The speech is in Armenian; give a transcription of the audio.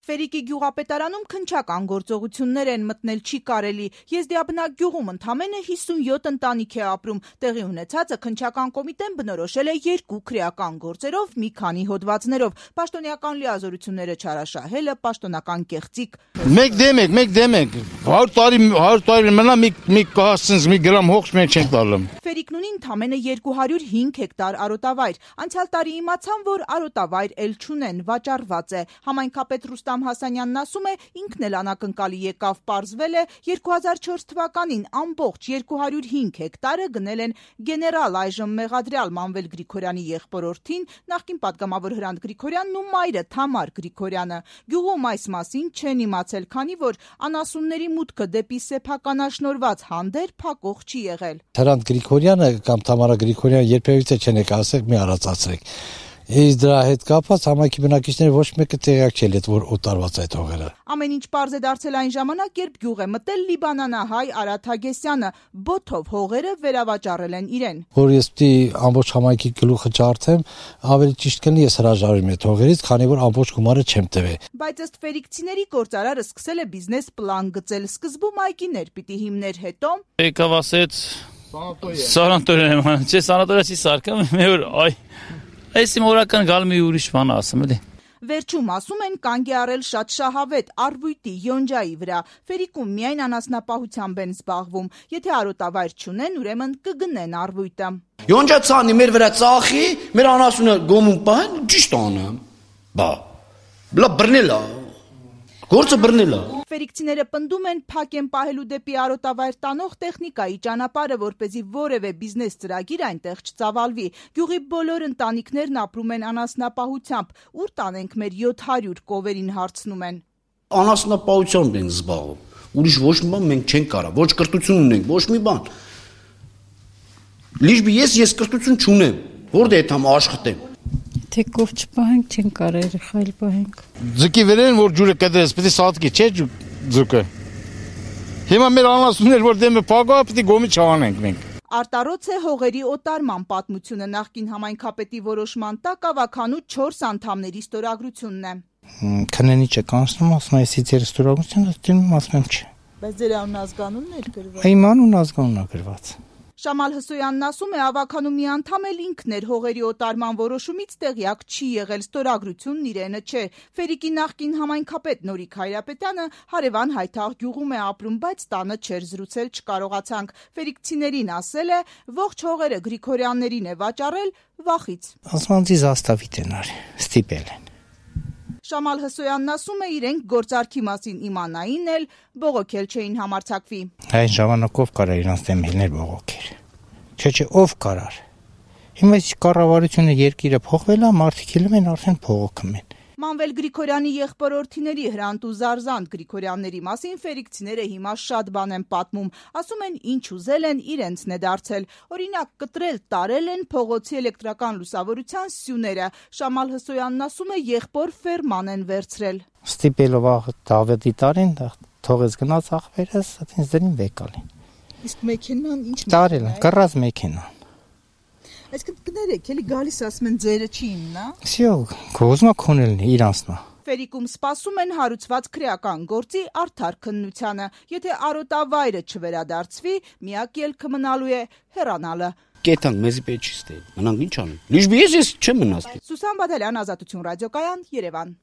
Ֆերիկի գյուղապետարանում քննչական գործողություններ են, մտնել չի կարելի։ Եզդիաբնակ գյուղում ընդամենը 57 ընտանիք է ապրում։ Տեղի ունեցածը քննչական կոմիտեն բնորոշել է 2 քրեական գործերով, մի քանի հոդվածներով։ Պաշտոնյական լիազորությունները չարաշահելը, պաշտոնական կեղծիք։ Մեկ դեմ եք 100 տարի մնա մի կահասցնց մի գրամ հողջ մենք չենք տալում։ Ֆերիկն ունի ընդամենը 205 հեկտար արոտավայր։ Անցյալ տարի իմացան, որ արոտավայր էլ չունեն, վաճառված է։ Համայնքապետ Ռուստամ Հասանյանն ասում է, ինքն էլ անակնկալի եկավ, պարզվել է 2004 թվականին ամբողջ 205 հեկտարը գնել են գեներալ այժմ մեղադրյալ Մանվել Գրիգորյանի եղբորորդին, նախկին պատգամավոր Հրանտ Գրիգորյանն ու մայրը Թամար Գրիգորյանը։ Գյուղում այս մասին չեն իմացել, քանի որ անասունների մուտքը դեպի սեփականաշնորհված հանդեր փակող չի եղել։ Հրանտ Գրիգորյանը կամ Թամարա Գրիգորյանը երբևիցե չեն եկել ասել մի առածացրեք։ Իսկ դրա հետ կապված համայնքի բնակիչները ոչ մեկը տեղյակ չէ, որ օտարված այդ հողերը։ Ամեն ինչ պարզ է դարձել այն ժամանակ, երբ գյուղ է մտել լիբանանահայ Արադ Հագեսյանը, բոթով հողերը վերավաճառել են իրեն։ Որ ես պիտի ամբողջ համայնքի գլուխը ջարդեմ, ավելի ճիշտ կլինի ես հրաժարվեմ այդ հողերից, քանի որ ամբողջ գումարը չեմ տվել։ Բայց ըստ ֆերիկցիների գործարարը սկսել է բիզնես պլան գծել, սկզբում այգիներ պիտի հիմներ, հետո եկավ ասեց սանատորիա, չէ, սանատորիա չի սարքam, մեր այ այս մորական գալ մի ուրիշ բան ասում էլի։ Վերջում ասում են կանգ է առել շատ շահավետ արվույտի յոնջայի վրա։ Ֆերիկում միայն անասնապահությամբ են զբաղվում։ Եթե արոտավայր չունեն, ուրեմն կգնեն արվույտը։ Յոնջա ցանի մեր վրա ծախի, մեր անասունը գոմում պահեն, ճիշտ անեմ։ Բա բլա բռնելա։ Գործը բռնելա։ Ֆերիկցիները պնդում են փակ են պահելու դեպի արոտավայր տանող տեխնիկայի ճանապարհը, որպեսզի որևէ բիզնես ծրագիր այնտեղ չծավալվի։ Գյուղի բոլոր ընտանիքներն ապրում են անասնապահությամբ։ Ուր տանենք մեր 700 կովերին հարցնում են։ Անասնապահությամբ ենք զբաղվում։ Ուրիշ ոչ մի բան մենք չենք կարող, ոչ կրթություն ունենք, ոչ մի բան։ Լիժբի ես կրթություն չունեմ, որտե՞ղ եմ աշխատեմ։ Թե կով չպահենք, չեն կարող երեխայել պահենք։ Ձուկի վերեն, որ ջուրը կդրես, պիտի սատկի, չէ ձուկը։ Հիմա մեր անասուններ, որ դեմը փագա, պիտի գոմի չանենք մենք։ Արտարոց է հողերի օտարման պատմությունը նախկին համայնքապետի որոշման տակ ավականու 4 անդամների ստորագրությունն է։ Քննի չէ կանցնում, ասում է, «Ես ձեր ստորագրությունը դիմում, ասում եմ, չէ»։ Բայց ձեր անուն ազգանունն էր գրված։ Իմ անուն ազգանունն է գրված։ Շամալ Հսոյանն ասում է, ավականու մի անդամ էլ ինքն էր հողերի օտարման որոշումից տեղյակ չի եղել, ստորագրությունն իրենը չէ։ Ֆերիկի նախկին համայնքապետ Նորիկ Հայրապետյանը հարևան Հայթաղ գյուղում է ապրում, բայց տանը չէր զրուցել, չկարողացանք։ Ֆերիկցիներին ասել է, ողջ հողերը Գրիգորյաններին է վաճառել վախից։ Ասմանցի զաստավիտ են արի, ստիպել են։ Շամալ Հսոյանն ասում է, իրենք գործարքի մասին իմանային էլ, բողոքել չէին համարձակվի։ Այն ժամանակով կարա իրանց դեմ հիլներ բողոքեր։ Չէ, ով կարար։ Հիմա կառավարությունը երկիրը փոխվել է, մարդիկ հիլում են, արդեն փողոքում են։ Մանվել Գրիգորյանի եղբորորդիների Հրանտ ու Զարզանտ Գրիգորյանների մասին ֆերիկցիները հիմա շատ բան են պատմում, ասում են ինչ ուզել են իրենցն է դարձել, օրինակ կտրել տարել են փողոցի էլեկտրական լուսավորության սյուները, Շամալ Հսոյանն ասում է եղբոր ֆերման են վերցրել։ Ստիպելով Դավիթի տարին թողեց գնաց ախպերս, այդպես դրին վեկալին։ Իսկ մեքենան ինչ տարել են, կռած մեքենա։ Այսինքն կներեք, էլի գալիս ասում են ձերը չի իմնա։ Всё, կոզմա քոնելն է իրանցնա։ Ֆերիկում սպասում են հարուցված քրեական գործի արդար քննությանը։ Եթե արոտավայրը չվերադարձվի, միակ ելքը մնալու է հեռանալը։ Կետան մեզի պետք չի ստել։ Մնանք ինչ անենք։ Լիժբի ես չեմ մնաց։ Սուսան Բադալյան, Ազատություն ռադիոկայան, Երևան։